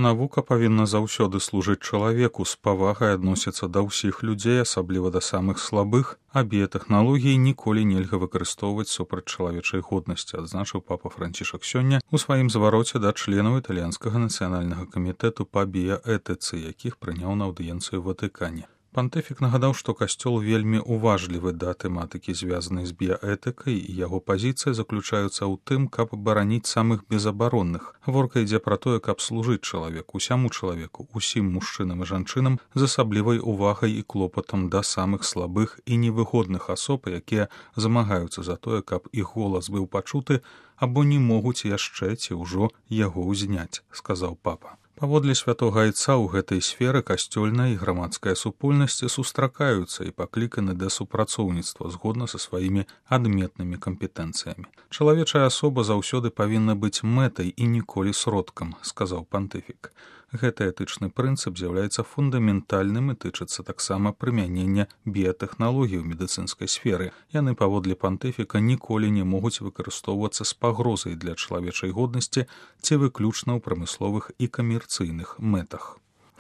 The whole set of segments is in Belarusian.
Навука павінна заўсёды служыць чалавеку, з павагай адносіцца да ўсіх людзей, асабліва да самых слабых, а біятэхналогіі ніколі нельга выкарыстоўваць супраць чалавечай годнасці, адзначыў папа Францішак сёння ў сваім звароце да членаў італьянскага нацыянальнага камітэту па біяэтыцы, якіх прыняў на аўдыенцыю ў Ватыкане. Пантыфік нагадаў, што касцёл вельмі уважлівы да тэматыкі, звязанай з біяэтыкай, і яго пазіцыя заключаюцца ў тым, каб бараніць самых безабаронных. Гаворка ідзе пра тое, каб служыць чалавеку, усяму чалавеку, усім мужчынам і жанчынам з асаблівай увагай і клопатам да самых слабых і невыгодных асоб, якія змагаюцца за тое, каб іх голас быў пачуты, або не могуць яшчэ ці ўжо яго ўзняць, сказаў папа. Паводле святога айца ў гэтай сферы касцёльная і грамадская супольнасці сустракаюцца і пакліканы да супрацоўніцтва згодна са сваімі адметнымі кампетэнцыямі. Чалавечая асоба заўсёды павінна быць мэтай і ніколі сродкам, сказаў пантыфік. Гэты этычны прынцып з'яўляецца фундаментальным і тычыцца таксама прымянення біятэхналогій у медыцынскай сферы. Яны, паводле пантыфіка, ніколі не могуць выкарыстоўвацца з пагрозай для чалавечай годнасці ці выключна ў прамысловых і камерцыйных мэтах.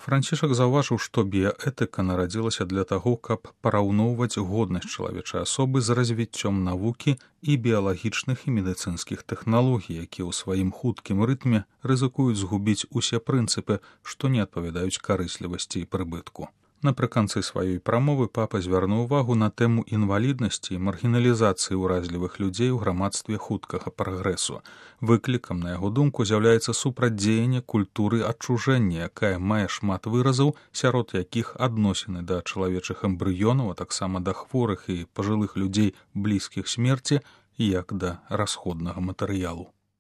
Францішак заўважыў, што біяэтыка нарадзілася для таго, каб параўноўваць годнасць чалавечай асобы з развіццём навукі і біялагічных і медыцынскіх тэхналогій, якія ў сваім хуткім рытме рызыкуюць згубіць усе прынцыпы, што не адпавядаюць карыслівасці і прыбытку. Напрыканцы сваёй прамовы папа звярнуў увагу на тэму інваліднасці і маргіналізацыі ўразлівых людзей у грамадстве хуткага прагрэсу. Выклікам, на яго думку, з'яўляецца супрацьдзеянне культуры адчужэння, якая мае шмат выразаў, сярод якіх адносіны да чалавечых эмбрыёнаў, а таксама да хворых і пажылых людзей блізкіх смерці, як да расходнага матэрыялу.